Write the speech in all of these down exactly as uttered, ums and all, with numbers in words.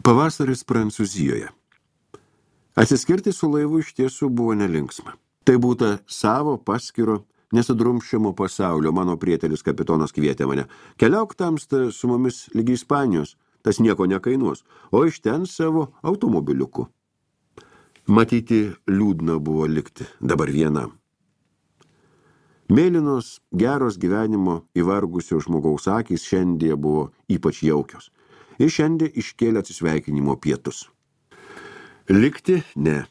Pavasaris Prancūzijoje. Atsiskirti su laivu iš tiesų buvo nelinksma. Tai būta savo paskiro, nesudrumščiamo pasaulio. Mano prietelis kapitonas kvietė mane. Keliauk tamsta su mumis lygi Ispanijos, tas nieko nekainuos, o iš ten savo automobiliuku. Matyti liūdna buvo likti dabar vienam. Mėlynos, geros gyvenimo įvargusio žmogaus akys šiandien buvo ypač jaukios. Ir šiandien iškėlė atsisveikinimo pietus. Likti ne.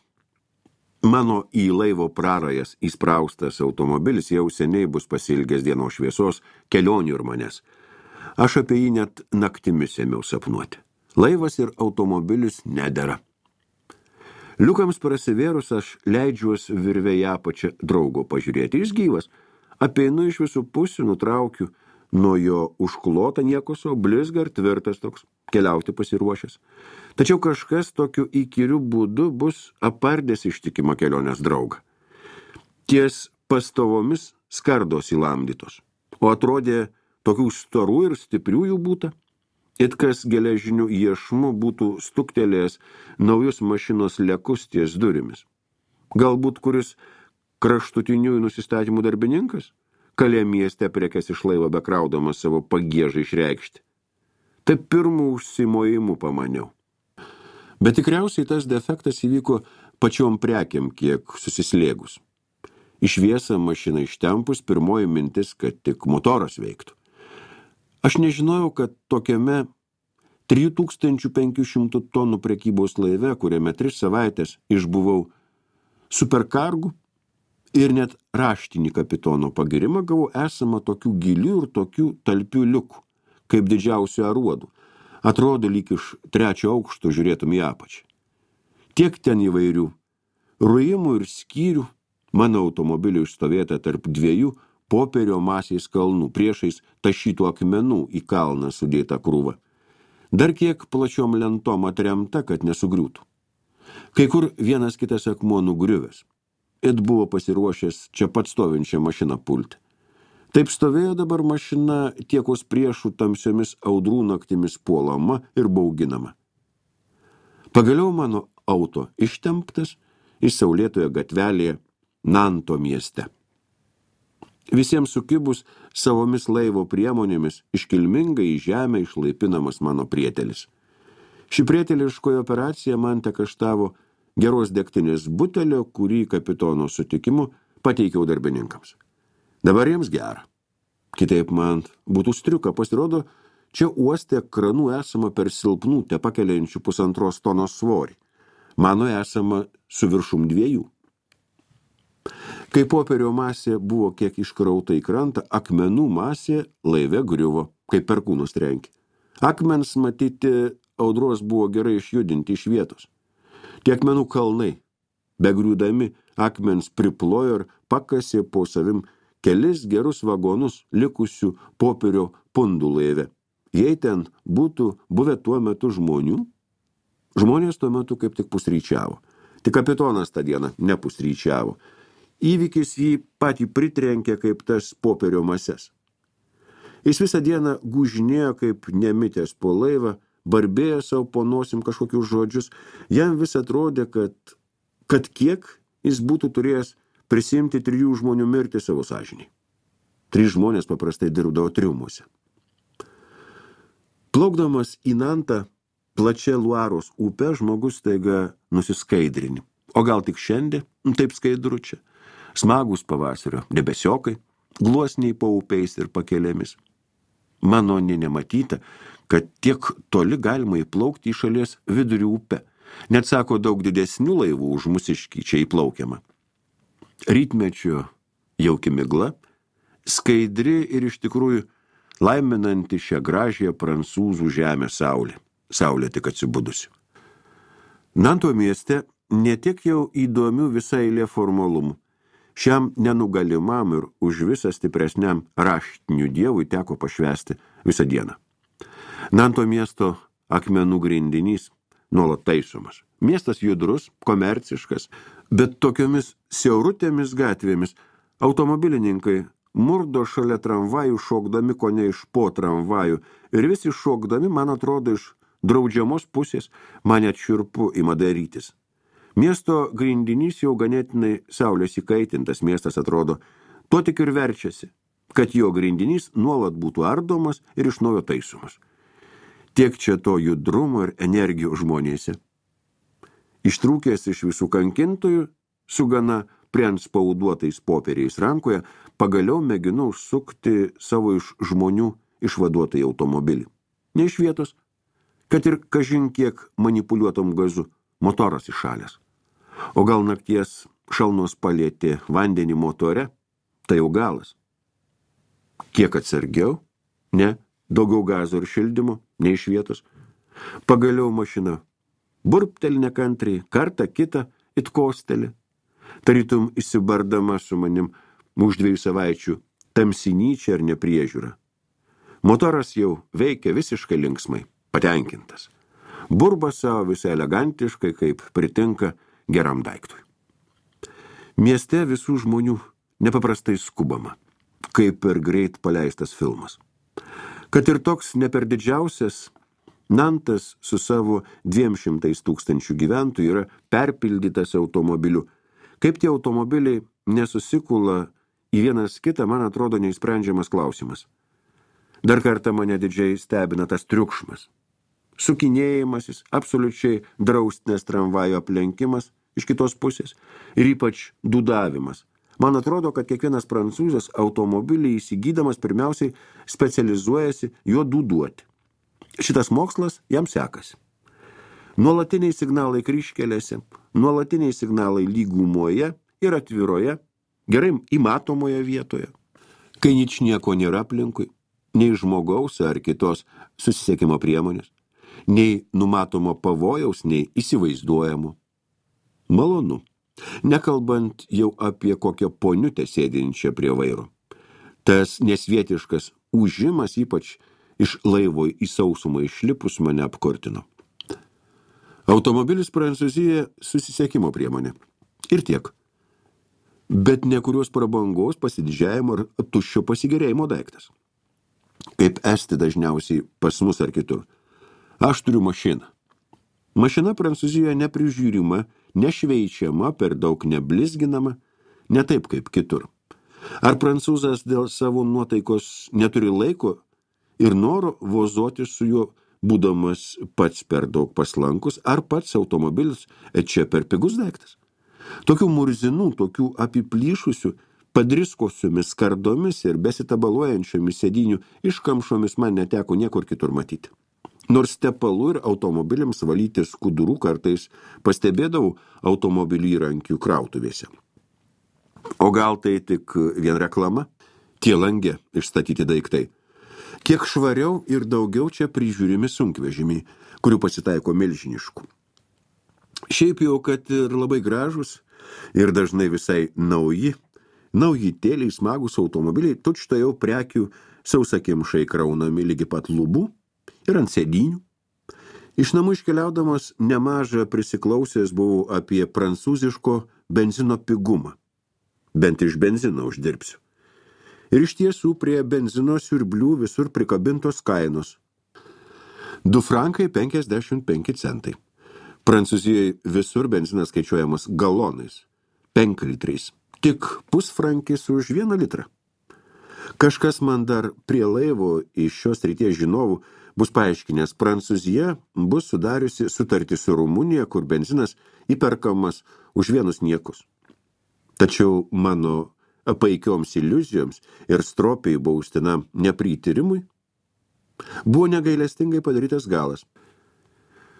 Mano į laivo prarajas įspraustas automobilis jau seniai bus pasilgęs dienos šviesos, kelionių ir manęs. Aš apie jį net naktimis ėmiau sapnuoti. Laivas ir automobilis nedera. Liukams prasivėrus aš leidžiuos virve į apačią draugo pažiūrėti. Jis gyvas. Apeinu iš visų pusių, nutraukiu nuo jo užklotą niekoso, blizgar tvirtas toks, keliauti pasiruošęs. Tačiau kažkas tokiu įkyriu būdu bus apardęs ištikimą kelionės draugą. Ties pastovomis skardos įlamdytos, o atrodė tokių storų ir stiprių jų būta. It kas geležinių iešmų būtų stuktelėjęs naujus mašinos lekus ties durimis. Galbūt kuris kraštutiniųjų nusistatymų darbininkas, kalė mieste prekes iš laivo bekraudamas savo pagiežą išreikšti. Taip pirmų užsimojimų pamaniau. Bet tikriausiai tas defektas įvyko pačiom prekiam kiek susislėgus. Iš viesą mašiną ištempus pirmoji mintis, kad tik motoras veiktų. Aš nežinojau, kad tokiame trijų tūkstančių penkių šimtų tonų prekybos laive, kuriame tris savaitės išbuvau superkargu, ir net raštinį kapitono pagirimą gavau esama tokių gilių ir tokių talpių liukų, kaip didžiausių aruodų. Atrodo, lyg iš trečio aukšto žiūrėtum į apačią. Tiek ten įvairių ruimų ir skyrių, mano automobilio išstovėta tarp dviejų popierio masės kalnų, priešais tašytų akmenų į kalną sudėta krūva. Dar kiek plačiom lentom atremta, kad nesugriūtų. Kai kur vienas kitas akmuo nugriuvęs. It buvo pasiruošęs čia pat stovinčią mašiną pulti. Taip stovėjo dabar mašina tiekos priešų tamsiomis audrų naktimis puolama ir bauginama. Pagaliau mano auto ištemptas iš saulėtoje gatvelėje Nanto mieste. Visiems sukibus savomis laivo priemonėmis iškilmingai į žemę išlaipinamas mano prietelis. Ši prieteliškoji operacija man tekaštavo geros degtinės butelio, kurį kapitono sutikimu pateikiau darbininkams. Dabar jiems gera. Kitaip man būtų striuka, pasirodo, čia uoste kranų esama per silpnų tepakeliančių pusantros tonos svorį. Mano esama su viršum dviejų. Kai popierio masė buvo kiek iškrauta į krantą, akmenų masė laive griuvo, kaip perkūnus trenkė. Akmens matyti audros buvo gerai išjudinti iš vietos. Tie akmenų kalnai, begriūdami, akmens priplojo ir pakasė po savim kelis gerus vagonus likusių popierio pundų laive. Jei ten būtų buvę tuo metu žmonių, žmonės tuo metu kaip tik pusryčiavo. Tik kapitonas tą dieną nepusryčiavo. Įvykis jį patį pritrenkė kaip tas popierio mases. Jis visą dieną gužinėjo kaip nemitęs po laivą, barbėjo savo po nosim kažkokius žodžius. Jam vis atrodė, kad, kad kiek jis būtų turėjęs prisimti trijų žmonių mirtį savo sąžiniai. Trys žmonės paprastai dirbdavo triumuose. Plaukdamas į Nantą plačia Luaros upę, žmogus staiga nusiskaidrini. O gal tik šiandien, taip skaidru čia. Smagus pavasario debesiokai, gluosniai po upeis ir pakelėmis. Mano nė nematyta, kad tiek toli galima įplaukti į šalies vidurį upę. Net sako, daug didesnių laivų už mūsiškį čia įplaukiama. Rytmečio jauki migla, skaidri ir iš tikrųjų laiminanti šią gražią prancūzų žemę saulė. Saulė tik atsibudusi. Nanto mieste ne tiek jau įdomių visai eilė formalumų. Šiam nenugalimam ir už visą stipresniam raštinių dievui teko pašvęsti visą dieną. Nanto miesto akmenų grindinys nuolat taisomas. Miestas judrus, komerciškas, bet tokiomis siaurutėmis gatvėmis automobilininkai murdo šalia tramvajų šokdami kone iš po tramvajų ir visi šokdami, man atrodo, iš draudžiamos pusės, man net šiurpu ima darytis. Miesto grindinys jau ganėtinai saulės įkaitintas, miestas atrodo, tuo tik ir verčiasi, kad jo grindinys nuolat būtų ardomas ir iš naujo taisomas. Tiek čia to judrumo ir energijos žmonėse. Ištrūkęs iš visų kankintojų, su gana prianspauduotais popieriais rankoje, pagaliau mėginu užsukti savo iš žmonių išvaduotą automobilį. Ne iš vietos, kad ir kažin kiek manipuliuotom gazu, motoras iššalęs. O gal nakties šalnos palėtė vandenį motore, tai jau galas. Kiek atsargiau? Ne, daugiau gazo ir šildymo, ne iš vietos. Pagaliau mašina burpteli nekantriai, kartą kitą it kostelį. Tarytum įsibardama su manim už dviejų savaičių tamsinyčia ar nepriežiūra. Motoras jau veikia visiškai linksmai, patenkintas. Burba savo visai elegantiškai, kaip pritinka geram daiktui. Mieste visų žmonių nepaprastai skubama, kaip per greit paleistas filmas. Kad ir toks ne per didžiausias, Nantas su savo dviem šimtais tūkstančių gyventojų yra perpildytas automobiliu. Kaip tie automobiliai nesusikula į vienas kitą, man atrodo neįsprendžiamas klausimas. Dar kartą mane didžiai stebina tas triukšmas. Sukinėjimasis, absoliučiai draustinės tramvajo aplenkimas iš kitos pusės ir ypač dūdavimas. Man atrodo, kad kiekvienas prancūzas automobilį įsigydamas pirmiausiai specializuojasi jo dūduoti. Šitas mokslas jam sekasi. Nuolatiniai signalai kryžkelėse, nuolatiniai signalai lygumoje ir atviroje, gerai įmatomoje vietoje. Kai ničnieko nėra aplinkui, nei žmogaus ar kitos susisiekimo priemonės, nei numatomo pavojaus, nei įsivaizduojamo. Malonu, nekalbant jau apie kokią poniutę sėdinčią prie vairo. Tas nesvietiškas ūžimas, ypač iš laivo į sausumą išlipus, mane apkurtino. Automobilis Prancūzijoje susisiekimo priemonė. Ir tiek. Bet ne kurios prabangos, pasididžiavimo ar tuščio pasigerėjimo daiktas. Kaip esti dažniausiai pas mus ar kitur. Aš turiu mašiną. Mašina Prancūzijoje neprižiūrima, nešveičiama, per daug neblizginama, ne taip kaip kitur. Ar prancūzas dėl savo nuotaikos neturi laiko ir noro vozoti su juo, būdamas pats per daug paslankus, ar pats automobilis čia per pigus daiktas? Tokių murzinų, tokių apiplyšusių, padriskosiomis kardomis ir besitabaluojančiomis sėdinių iškamšomis man neteko niekur kitur matyti. Nors tepalų ir automobiliams valyti skudurų kartais pastebėdavau automobilių įrankių krautuvėse. O gal tai tik vien reklama? Tie lange išstatyti daiktai. Kiek švariau ir daugiau čia prižiūrimi sunkvežimiai, kurių pasitaiko milžiniškų. Šiaip jau, kad ir labai gražus ir dažnai visai nauji, naujitėliai smagus automobiliai, tučto jau prekių sausakimšai kraunami lygi pat lubų ir ant sėdinių. Iš namų iškeliaudamas nemažą prisiklausęs buvau apie prancūziško benzino pigumą. Bent iš benzino uždirbsiu. Ir iš tiesų prie benzino siurblių visur prikabintos kainos. Du frankai penkiasdešimt penki centai. Prancūzijoje visur benzinas skaičiuojamas galonais, penklitriais. Tik pusfrankis už vieną litrą. Kažkas man dar prie laivo iš šios srities žinovų bus paaiškinęs, Prancūzija bus sudariusi sutartį su Rumunija, kur benzinas įperkamas už vienus niekus. Tačiau mano paikioms iliuzijoms ir stropiai baustinam neprityrimui buvo negailestingai padarytas galas.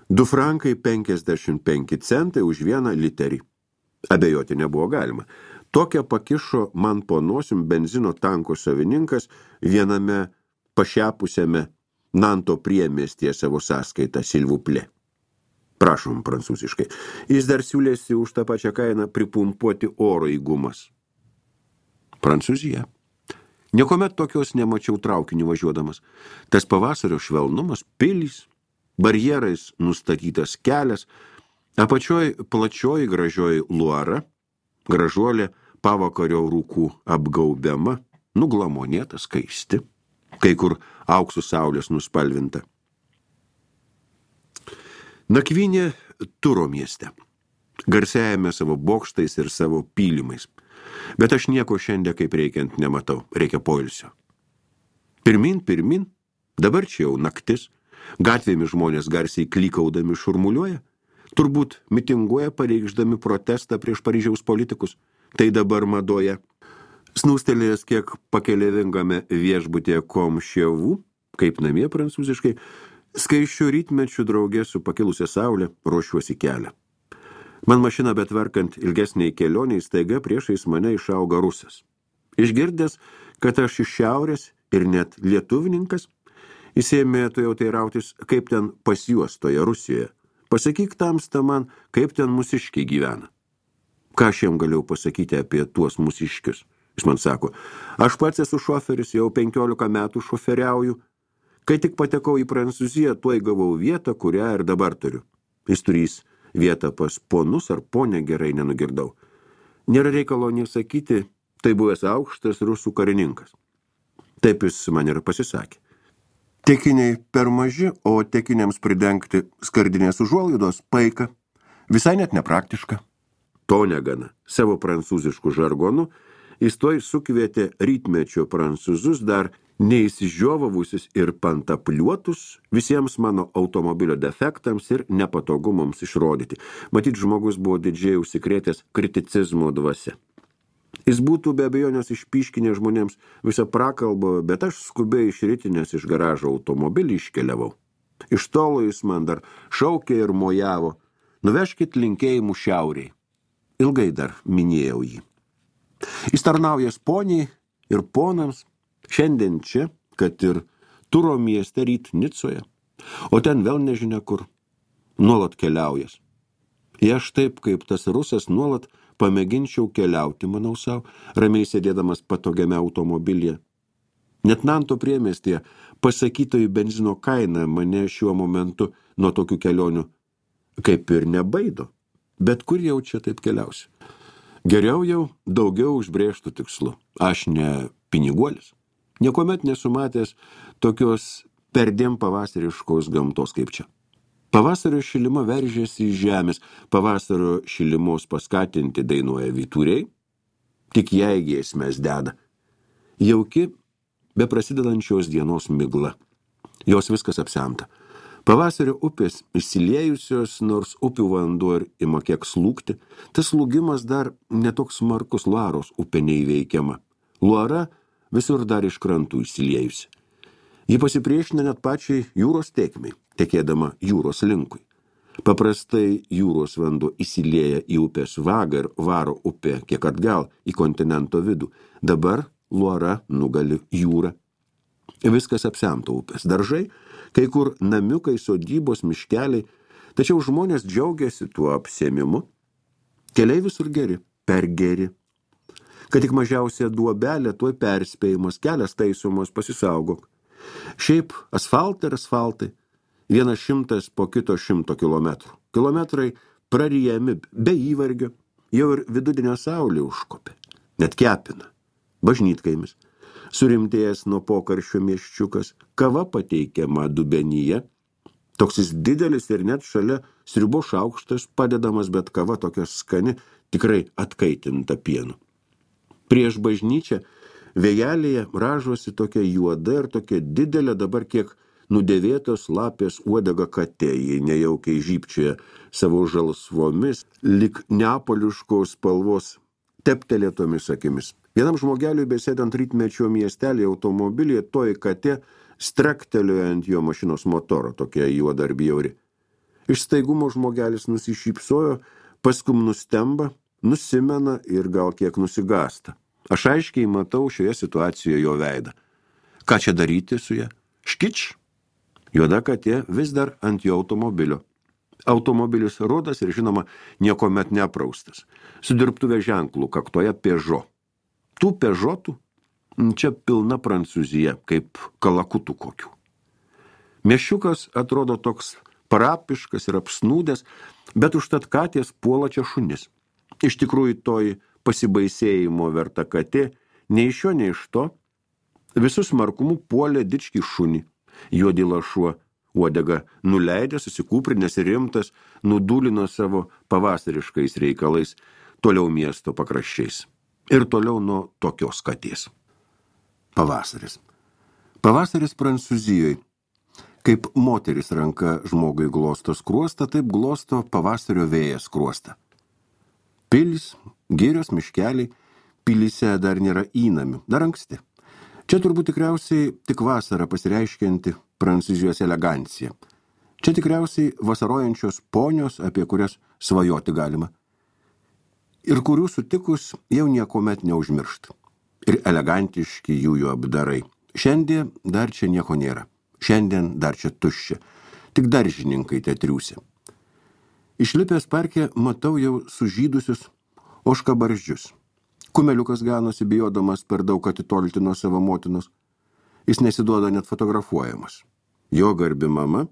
Du frankai penkiasdešimt penki centai už vieną literį. Abejoti nebuvo galima. Tokią pakišo man po nosim benzino tanko savininkas viename pašiapusiame Nanto priemiestyje savo sąskaitą Silvuplė. Prašom prancūziškai. Jis dar siūlėsi už tą pačią kainą pripumpuoti oro į gumas. Prancūzija. Niekuomet tokios nemačiau traukinių važiuodamas. Tas pavasario švelnumas, pilys, barjerais nustatytas kelias, apačioj plačioji gražioji Luara, gražuolė pavakario rūkų apgaubiama, nuglamonėta, skaisti, kai kur auksų saulės nuspalvinta. Nakvynė Turo mieste, garsiajame savo bokštais ir savo pylimais. Bet aš nieko šiandien kaip reikiant nematau, reikia poilsio. Pirmin, pirmin, dabar čia jau naktis, gatvėmis žmonės garsiai klykaudami šurmuliuoja, turbūt mitinguoja pareikšdami protestą prieš Paryžiaus politikus, tai dabar madoje. Snūstelėjęs kiek pakelėvingame viešbutėje Komševų, kaip namie prancūziškai, skaičių rytmečių draugė su pakilusia saulė ruošiuosi kelią. Man mašina betvarkant ilgesniai kelioniai staiga priešais mane išauga rusas. Išgirdęs, kad aš iš šiaurės ir net lietuvininkas, jis ėmė tu jau teirautis, kaip ten pas juos toje Rusijoje. Pasakyk tamsta man, kaip ten mūsiškiai gyvena. Ką aš jam galėjau pasakyti apie tuos mūsiškius? Jis man sako, aš pats esu šoferis, jau penkiolika metų šoferiauju. Kai tik patekau į Prancūziją, tuoj gavau vietą, kurią ir dabar turiu. Jis turys vietą pas ponus ar ponę, gerai nenugirdau. Nėra reikalo nesakyti, tai buvęs aukštas rusų karininkas. Taip jis man ir pasisakė. Tekiniai per maži, o tekiniams pridengti skardinės užuolaidos paika. Visai net nepraktiška. To negana. Savo prancūziškų žargonų jis toj sukvietė rytmečio prancūzus dar neįsižiovavusius ir pantapliuotus visiems mano automobilio defektams ir nepatogumams išrodyti. Matyt, žmogus buvo didžiai užsikrėtęs kriticizmo dvasia. Jis būtų be abejonės išpyškinę žmonėms visą prakalbą, bet aš skubiai iš rytinės iš garažo automobilį iškeliavau. Iš tolo jis man dar šaukė ir mojavo, nuvežkit linkėjimų šiauriai. Ilgai dar minėjau jį. Jis tarnaujas poniai ir ponams, šiandien čia, kad ir Turo mieste ryt Nicoje, o ten vėl nežinia kur, nuolat keliaujas. Jei aš taip, kaip tas rusas, nuolat pamėginčiau keliauti, manau savo, ramiai sėdėdamas patogiame automobilyje. Net Nanto priemiestyje pasakytojų benzino kaina mane šiuo momentu nuo tokių kelionių kaip ir nebaido. Bet kur jau čia taip keliausi? Geriau jau daugiau užbrėžtų tikslu. Aš ne piniguolis. Niekuomet nesumatęs tokios perdėm pavasariškos gamtos kaip čia. Pavasario šilima veržėsi iš žemės, pavasario šilimos paskatinti dainuoja vyturiai, tik jai giesmes deda. Jauki, be prasidedančios dienos migla. Jos viskas apsemta. Pavasario upės išsiliejusios, nors upių vanduo ir ima kiek slūgti, tas slūgimas dar netoks smarkus Luaros upė neįveikiama. Luara visur dar iš krantų išsiliejusi. Ji pasipriešina net pačiai jūros tėkmei, tekėdama jūros linkui. Paprastai jūros vanduo įsilieja į upės vagą ir varo upė kiek atgal į kontinento vidų. Dabar Luara nugali jūrą. Viskas apsemta upės. Daržai, kai kur namiukai, sodybos, miškeliai, tačiau žmonės džiaugiasi tuo apsėmimu. Keliai visur geri, per geri. Kad tik mažiausia duobelė, tuoj perspėjimas, kelias taisomos, pasisaugok. Šiaip asfaltai ir asfaltai, vienas šimtas po kito šimto kilometrų. Kilometrai prarijami be įvargio, jau ir vidudienio saulė užkopė, net kepina, bažnytkaimis. Surimtėjęs nuo pokarščio mieščiukas, kava pateikiama dubenyje, toksis didelis ir net šalia sriubo šaukštas padedamas, bet kava tokia skani, tikrai atkaitinta pienu. Prieš bažnyčią vėjelėje ražosi tokia juoda ir tokia didelė dabar kiek nudėvėtos lapės uodega katė, ji nejaukiai žybčioje savo žalsvomis, lyg neapoliškos spalvos teptelėtomis akimis. Vienam žmogeliui besėdant rytmečio miestelį automobilyje toji katė straktelėjo ant jo mašinos motoro, tokia juoda ar bjauri. Iš staigumo žmogelis nusišypsojo, paskum nustemba, nusimena ir gal kiek nusigasta. Aš aiškiai matau šioje situacijoje jo veidą. Ką čia daryti su ja? Škič? Juoda katė vis dar ant jo automobilio. Automobilis rudas ir žinoma niekomet nepraustas. Su dirbtuvės ženklų kaktoje Peugeot. Tų Peugeotų čia pilna Prancūzija, kaip kalakutų kokių. Miešiukas atrodo toks parapiškas ir apsnūdęs, bet užtat katės puola čia šunis. Iš tikrųjų toji pasibaisėjimo verta katė, nei iš jo, nei iš to, visus markumu puolė dičkį šunį. Juodi lašuo uodega nuleidęs, susikūprinęs ir rimtas, nudūlino savo pavasariškais reikalais toliau miesto pakraščiais. Ir toliau nuo tokios katės. Pavasaris. Pavasaris Prancūzijoje. Kaip moteris ranka žmogui glosto skruostą, taip glosto pavasario vėjas skruostą. Pilis, girios, miškeliai, pilyse dar nėra įnamių, dar anksti. Čia turbūt tikriausiai tik vasara pasireiškianti Prancūzijos elegancija. Čia tikriausiai vasarojančios ponios, apie kurias svajoti galima. Ir kurių sutikus jau niekomet neužmiršt. Ir elegantiški jų jų apdarai. Šiandien dar čia nieko nėra. Šiandien dar čia tuščia. Tik daržininkai te triūsia. Išlipęs parke matau jau sužydusius ožkabarzdžius. Kumeliukas ganosi bijodamas per daug atitolti nuo savo motinos. Jis nesiduoda net fotografuojamas. Jo garbi mama,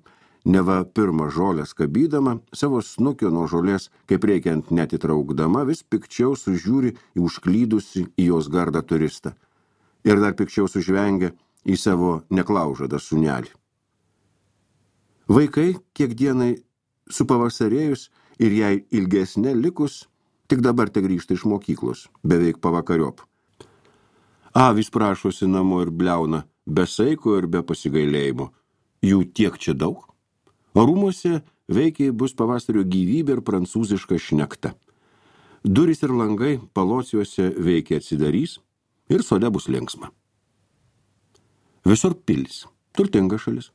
neva pirmą žolę skabydama, savo snukio nuo žolės, kaip reikiant net įtraukdama, vis pikčiau sužiūri į užklydusi į jos gardą turistą. Ir dar pikčiau sužvengia į savo neklaužadą sūnelį. Vaikai, kiek dienai supavasarėjus ir jai ilgesnė likus, tik dabar te grįžta iš mokyklos, beveik pavakariop. Avys prašosi namo ir bliauna, be saiko ir be pasigailėjimo. Jų tiek čia daug. O rūmuose veikiai bus pavasario gyvybė ir prancūziška šnekta. Durys ir langai palociuose veikiai atsidarys ir sode bus linksma. Visur pilis, turtinga šalis.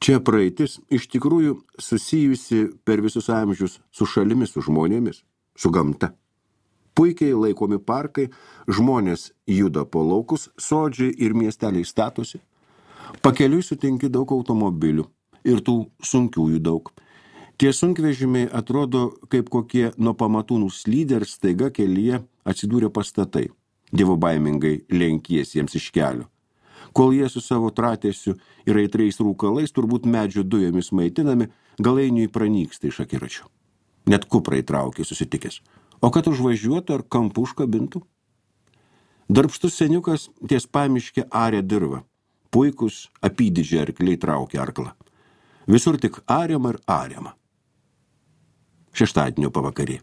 Čia praeitis iš tikrųjų susijusi per visus amžius su šalimis, su žmonėmis, su gamta. Puikiai laikomi parkai, žmonės juda po laukus, sodžiai ir miesteliai statosi. Pakeliui sutinki daug automobilių ir tų sunkiųjų daug. Tie sunkvežimiai atrodo kaip kokie nuo pamatų nuslydę ir staiga kelyje atsidūrė pastatai, dievobaimingai lenkies jiems iš kelio. Kol jie su savo tratėsiu ir aitriais rūkalais, turbūt medžio dujomis maitinami, galainiui pranyksta iš akiračių. Net kuprai traukė susitikęs. O kad užvažiuotų ar kampų užkabintų? Darbštus seniukas ties pamiške arė dirvą. Puikus apydidžiai arkliai traukė arklą. Visur tik ariama ir ariama. Šeštadienio pavakarė.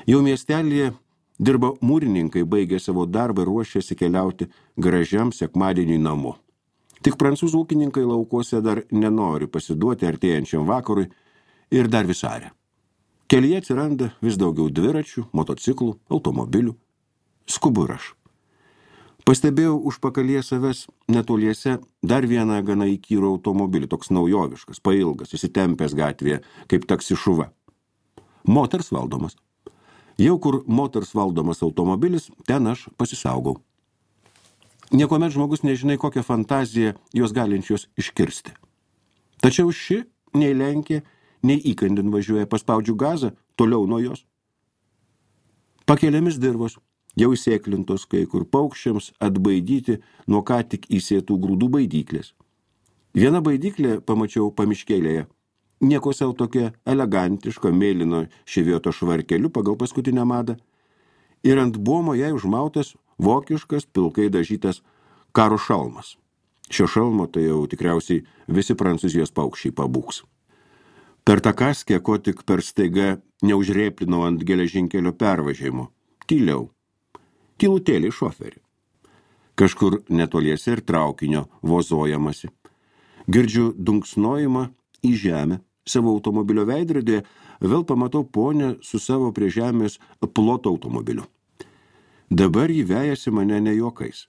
Jau miestelėje dirba mūrininkai, baigė savo darbą ir ruošėsi keliauti gražiam sekmadieniui namo. Tik prancūzų ūkininkai laukuose dar nenori pasiduoti artėjančiam vakarui ir dar vis aria. Kelyje atsiranda vis daugiau dviračių, motociklų, automobilių. Skubu ir aš. Pastebėjau užpakalyje savęs netoliese dar vieną gana įkyrų automobilį, toks naujoviškas, pailgas, įsitempęs gatvėje, kaip taksi šuva. Moters valdomas. Jau kur moters valdomas automobilis, ten aš pasisaugau. Niekuomet žmogus nežinai, kokią fantaziją jos galinčios iškirsti. Tačiau ši nei lenkė, nei įkandin važiuoja, paspaudžiu gazą, toliau nuo jos. Pakeliamis dirvos, jau įsėklintos kai kur paukščiams atbaidyti nuo ką tik įsėtų grūdų baidyklės. Viena baidyklė pamačiau pamiškėlėje. Nieko sau tokia elegantiška mėlyno ševioto švarkeliu pagal paskutinę madą. Ir ant buomo jai užmautas vokiškas pilkai dažytas karo šalmas. Šio šalmo tai jau tikriausiai visi prancūzijos paukščiai pabūks. Per tą kaskę, ko tik per staiga neužrėplinau ant geležinkelio pervažiavimo. Tyliau. Tylutėlį šoferį. Kažkur netoliese ir traukinio vozojamasi. Girdžiu dunksnojimą į žemę. Savo automobilio veidrodėje vėl pamatau ponę su savo prie žemės ploto automobiliu. Dabar jį vejasi mane ne juokais.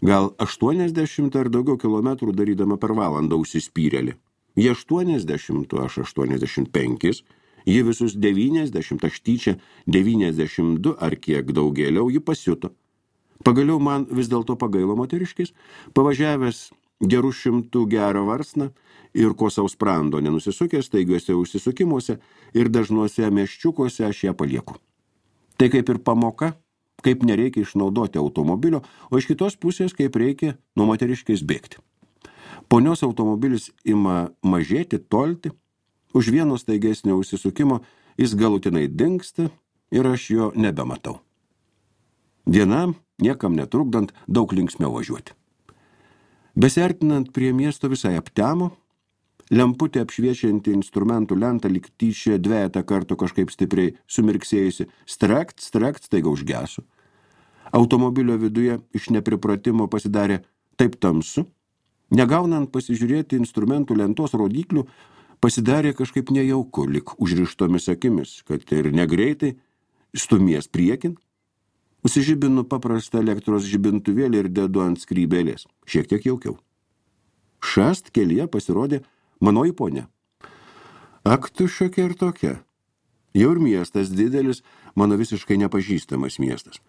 Gal aštuoniasdešimt ar daugiau kilometrų darydama per valandą užsispyrėlį. Jie aštuoniasdešimt, aš aštuoniasdešimt penkis, jie visus devyniasdešimt, aš tyčia devyniasdešimt du ar kiek daugėliau jį pasiuto. Pagaliau man vis dėlto pagailo moteriškis, pavažiavęs gerų šimtų gerą varsną ir ko sau sprando nenusisukęs, taigiuose užsisukimuose ir dažnuose meščiukuose aš ją palieku. Tai kaip ir pamoka, kaip nereikia išnaudoti automobilio, o iš kitos pusės kaip reikia nuo moteriškės bėgti. Ponios automobilis ima mažėti, tolti, už vieno staigesnio užsisukimo jis galutinai dingsta ir aš jo nebematau. Diena, niekam netrukdant, daug linksmiau važiuoti. Besiartinant prie miesto visai aptemo, Lemputė apšviečianti instrumentų lentą lyg tyčia dvejetą kartų kažkaip stipriai sumirksėjusi. Strekt, strekt, staiga užgeso. Automobilio viduje iš nepripratimo pasidarė taip tamsu. Negaunant pasižiūrėti instrumentų lentos rodyklių, pasidarė kažkaip nejauku, lyg užrištomis akimis, kad ir negreitai stumies priekin. Užsižibinu paprastą elektros žibintuvėlį ir dedu ant skrybėlės. Šiek tiek jaukiau. Šast kelyje pasirodė manoji ponia. Ak, tu šiokia ir tokia. Jau ir miestas didelis, mano visiškai nepažįstamas miestas.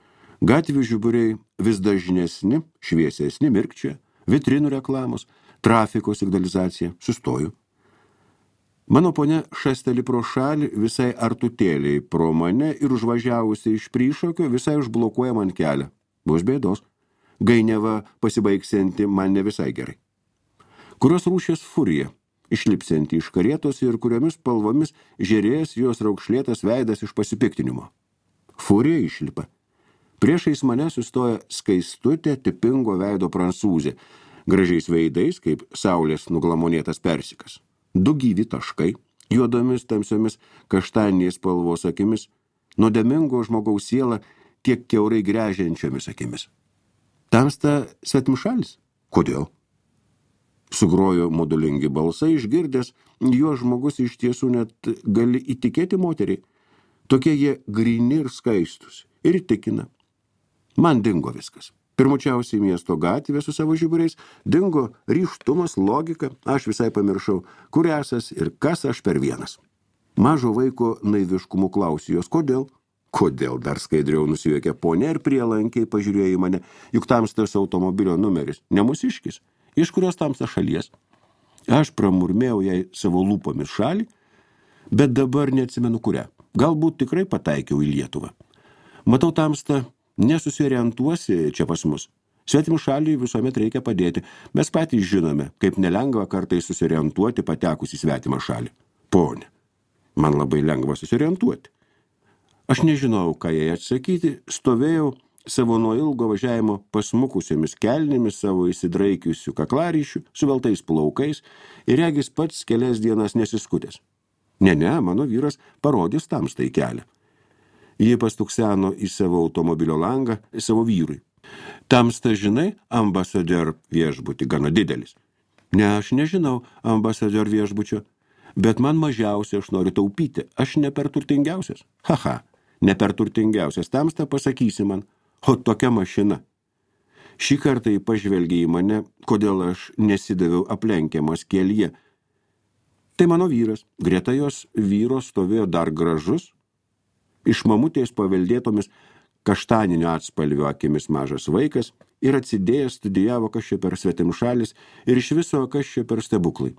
Gatvių žiburiai vis dažnesni, šviesesni, mirkčia, vitrinų reklamos, trafiko signalizacija. Sustoju. Mano ponia šasteli pro šalį visai artutėliai pro mane ir užvažiavusi iš Prišokio visai užblokuoja man kelią. Bus bėdos. Gainiava pasibaigsianti man ne visai gerai. Kurios rūšės furija, išlipsianti iš karietos ir kuriomis spalvomis žėrės jos raukšlėtas veidas iš pasipiktinimo. Furija išlipa. Priešais mane sustoja skaistutė tipingo veido prancūzė, gražiais veidais, kaip saulės nuglamonėtas persikas. Du gyvi taškai, juodomis tamsiomis kaštaniniais spalvos akimis, nuodėmingo žmogaus sielą kiek kiaurai gręžiančiomis akimis. Tamsta svetimšalis? Kodėl? Sugrojo modulingi balsai, išgirdęs, jo žmogus iš tiesų net gali įtikėti moteriai. Tokie jie gryni ir skaistus. Ir įtikina. Man dingo viskas. Pirmučiausiai miesto gatvė su savo žiburiais, dingo ryžtumas, logika, aš visai pamiršau, kur esas ir kas aš per vienas. Mažo vaiko naiviškumu klausiu jos, kodėl? Kodėl dar skaidriau nusijuokė ponia ir prielankiai pažiūrėjo į mane, juk tamstas automobilio numeris, ne mūsiškis. Iš kurios tamsta šalies. Aš pramurmėjau jai savo lūpomis šalį, bet dabar neatsimenu kurią. Galbūt tikrai pataikiau į Lietuvą. Matau tamsta, nesusiorientuosi čia pas mus. Svetim šaliai visuomet reikia padėti. Mes patys žinome, kaip nelengva kartais susiorientuoti patekus į svetimą šalį. Pone, man labai lengva susiorientuoti. Aš nežinau, ką jai atsakyti, stovėjau savo nuo ilgo važiavimo pasmukusiomis kelnėmis, savo įsidraikiusių kaklaryšių, suveltais plaukais ir regis pats kelias dienas nesiskutęs. Ne, ne, mano vyras parodys tamstai kelią. Ji pastukseno į savo automobilio langą, savo vyrui. Tamsta, žinai, ambasador viešbutį gana didelis. Ne, aš nežinau ambasador viešbučio, bet man mažiausiai aš noriu taupyti. Aš ne per turtingiausias. Haha, ne per turtingiausias. Tamsta pasakysi man. O tokia mašina. Šį kartą jį pažvelgė į mane, kodėl aš nesidaviau aplenkiamas kelyje. Tai mano vyras. Greta jos vyro stovėjo dar gražus, iš mamutės paveldėtomis kaštaninio atspalvio akimis mažas vaikas ir atsidėjęs studijavo, kas čia per svetimšalis ir iš viso, kas čia per stebuklai.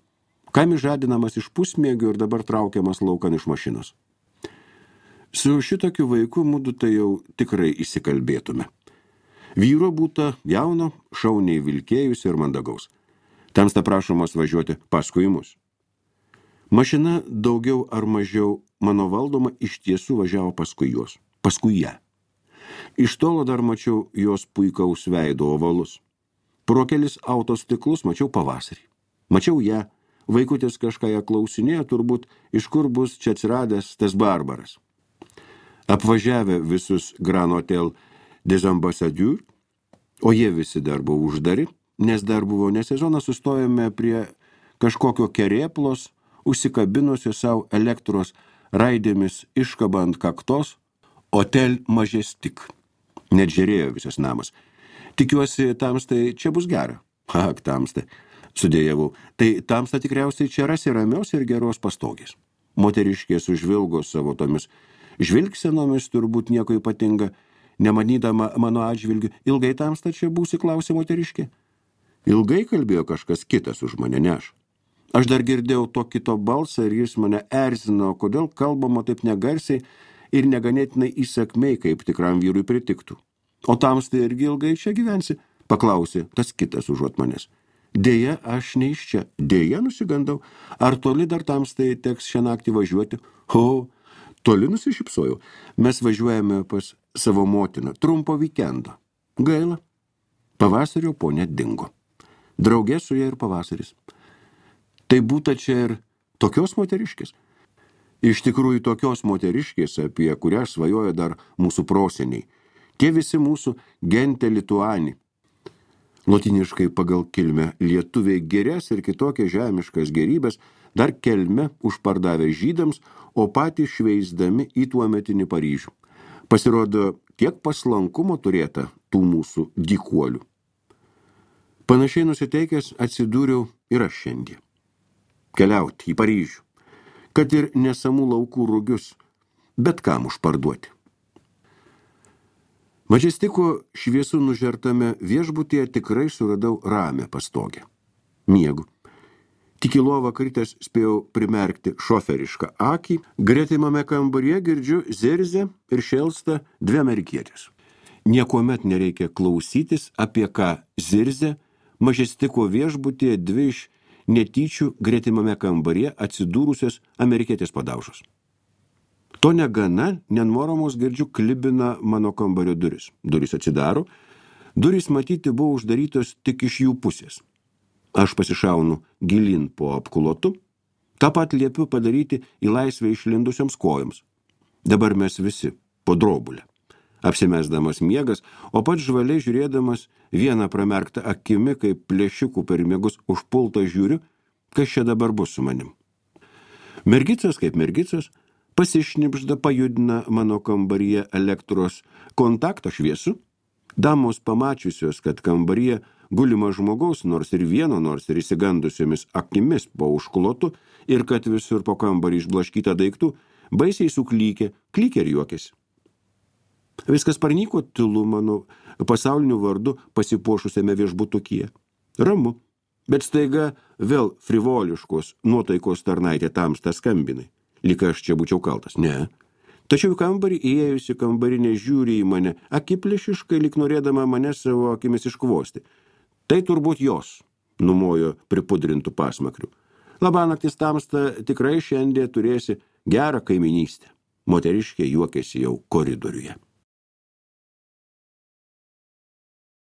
Kam žadinamas iš pusmėgių ir dabar traukiamas laukan iš mašinos. Su šitokiu vaiku mudu tai jau tikrai įsikalbėtume. Vyro būta jauno, šauniai vilkėjus ir mandagaus. Tamsta prašomas važiuoti paskui mus. Mašina daugiau ar mažiau mano valdoma iš tiesų važiavo paskui juos, paskui ją. Iš tolo dar mačiau jos puikaus veido ovalus. Pro kelis autostiklus mačiau pavasarį. Mačiau ją, vaikutis kažką ją klausinėjo, turbūt iš kur bus čia atsiradęs tas barbaras. Apvažiavę visus Grand Hotel des Ambassadeurs, o jie visi dar buvo uždari, nes dar buvo nesezonas, sustojome prie kažkokio kerėplos, užsikabinusio savo elektros raidėmis iškabant kaktos, Hotel Majestic. Net žiūrėjo visas namas. Tikiuosi, tamstai čia bus gera. Ak, tamstai, sudėjavau. Tai tamsta tikriausiai čia rasi ramios ir geros pastogės. Moteriškės užvilgo savo tomis žvilgsenomis, turbūt nieko ypatinga, nemanydama mano atžvilgių. Ilgai tamsta čia būsi, klausė moteriškė. Ilgai kalbėjo kažkas kitas už mane, ne aš. Aš dar girdėjau to kito balsą ir jis mane erzino, kodėl kalbama taip negarsiai ir neganėtinai įsakmei, kaip tikram vyrui pritiktų. O tamstai irgi ilgai čia gyvensi, paklausė tas kitas užuot manęs. Deja, aš ne iš čia. Deja, nusigandau. Ar toli dar tamstai teks šią naktį važiuoti? O, toli nusišypsojau. Mes važiuojame pas savo motiną. Trumpo vikendo. Gaila. Pavasario ponia dingo. Draugė su ja ir pavasaris. Tai būta čia ir tokios moteriškės. Iš tikrųjų tokios moteriškės, apie kurią svajoja dar mūsų proseniai. Tie visi mūsų gente lituani. Lotiniškai pagal kilmę lietuviai gėrės ir kitokias žemiškas gerybės dar kelme užpardavę žydams, o patys šveisdami į tuometinį Paryžių. Pasirodo, tiek paslankumo turėta tų mūsų dykuolių. Panašiai nusiteikęs atsidūriau ir aš šiandien. Keliauti į Paryžių, kad ir nesamų laukų rugius, bet kam užparduoti. Mažestiko šviesų nužertame viešbutyje tikrai suradau ramią pastogę. Miegu. Tik į lovą kritęs spėjau primerkti šoferišką akį, gretimame kambaryje girdžiu zirzę ir šėlsta dvi amerikietės. Niekuomet nereikia klausytis, apie ką zirzė Mažestiko viešbutyje dvi iš netyčių gretimame kambaryje atsidūrusios amerikietės padaužos. To negana, nenmoromos girdžiu klibina mano kambario duris. Durys atsidaro, durys matyti buvo uždarytos tik iš jų pusės. Aš pasišaunu gilin po apkulotu, tą pat liepiu padaryti į laisvę išlindusioms kojoms. Dabar mes visi po drobulę. Apsimesdamas miegas, o pats žvaliai žiūrėdamas vieną pramerktą akimi, kaip plėšikų per miegus užpultą žiūriu, kas čia dabar bus su manim. Mergicos kaip mergicos, pasišnipžda pajudina mano kambaryje elektros kontakto šviesų. Damos pamačiusios, kad kambaryje gulima žmogaus, nors ir vieno, nors ir įsigandusiomis akimis po užklotu ir kad visur po kambarį išblaškyta daiktų, baisiai suklykė, klykė ir juokėsi. Viskas parnyko tylu mano pasauliniu vardu pasipuošusiame viešbutukyje. Ramu, bet staiga vėl frivoliškos nuotaikos tarnaitė tamsta skambinai. Lyg aš čia būčiau kaltas. Ne. Tačiau į kambarį įėjusi kambarinė žiūri į mane, akiplėšiškai, lyg norėdama mane savo akimis iškvosti. Tai turbūt jos, numojo pripudrintų pasmakrių. Labanaktis tamsta, tikrai šiandien turėsi gerą kaiminystę. Moteriškė juokėsi jau koridoriuje.